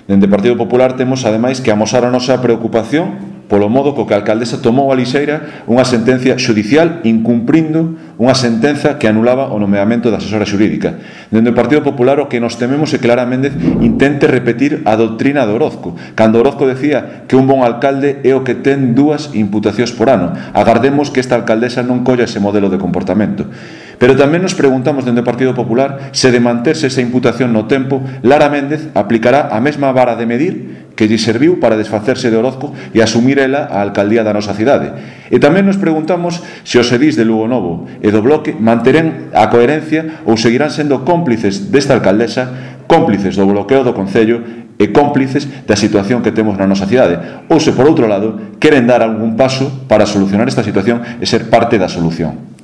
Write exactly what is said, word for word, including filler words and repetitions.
Dende o Partido Popular temos, ademais, que amosar a nosa preocupación polo modo co que a alcaldesa tomou a lixeira unha sentencia xudicial incumprindo unha sentenza que anulaba o nomeamento da asesora xurídica. Dende o Partido Popular o que nos tememos é que Lara Méndez intente repetir a doutrina de Orozco, cando Orozco decía que un bon alcalde é o que ten dúas imputacións por ano. Agardemos que esta alcaldesa non colla ese modelo de comportamento. Pero tamén nos preguntamos dende o Partido Popular se de manterse esa imputación no tempo, Lara Méndez aplicará a mesma vara de medir que lle serviu para desfacerse de Orozco e asumir ela a alcaldía da nosa cidade. E tamén nos preguntamos se os edís de Lugo Novo e do Bloque manterán a coherencia ou seguirán sendo cómplices desta alcaldesa, cómplices do bloqueo do Concello e cómplices da situación que temos na nosa cidade, ou se por outro lado queren dar algún paso para solucionar esta situación e ser parte da solución.